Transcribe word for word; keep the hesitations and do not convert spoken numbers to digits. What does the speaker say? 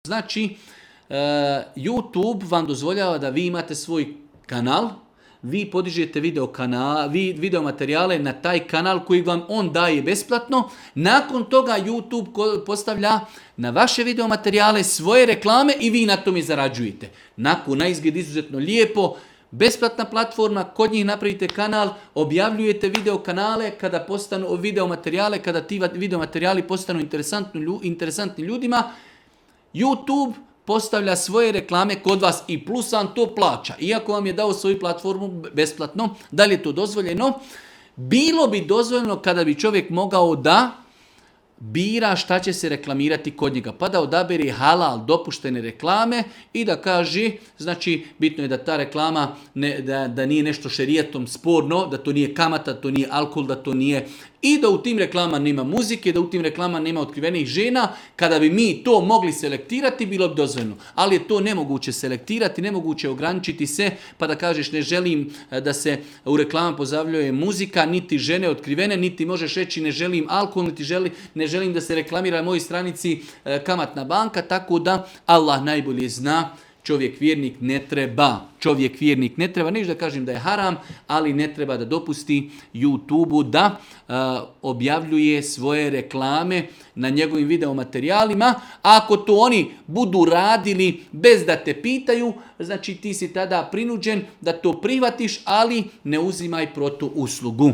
Znači, uh, YouTube vam dozvoljava da vi imate svoj kanal, vi podižete video, kanal, vi, video materijale na taj kanal koji vam on daje besplatno. Nakon toga YouTube postavlja na vaše video materijale svoje reklame i vi na tome zarađujete. Nakon na izgled izuzetno lijepo, besplatna platforma, kod njih napravite kanal, objavljujete video kanale, kada postanu video materijale, kada ti video materijali postanu interesantni, interesantni ljudima, YouTube postavlja svoje reklame kod vas i plus vam to plaća. Iako vam je dao svoju platformu besplatno, da li je to dozvoljeno? Bilo bi dozvoljeno kada bi čovjek mogao da bira šta će se reklamirati kod njega. Pa da odabere halal dopuštene reklame i da kaže, znači bitno je da ta reklama ne, da, da nije nešto šerijatom sporno, da to nije kamata, da to nije alkohol, da to nije i da u tim reklamama nema muzike, da u tim reklamama nema otkrivenih žena. Kada bi mi to mogli selektirati, bilo bi dozvoljeno. Ali je to nemoguće selektirati, nemoguće ograničiti se, pa da kažeš ne želim da se u reklamama pozavljuje muzika, niti žene otkrivene, niti možeš reći ne želim alkohol, niti želi, ne želim da se reklamira na mojoj stranici kamatna banka, tako da Allah najbolje zna. Čovjek vjernik ne treba, čovjek vjernik ne treba, neću da kažem da je haram, ali ne treba da dopusti YouTube-u da uh, objavljuje svoje reklame na njegovim videomaterijalima. Ako to oni budu radili bez da te pitaju, znači ti si tada prinuđen da to prihvatiš, ali ne uzimaj protu uslugu.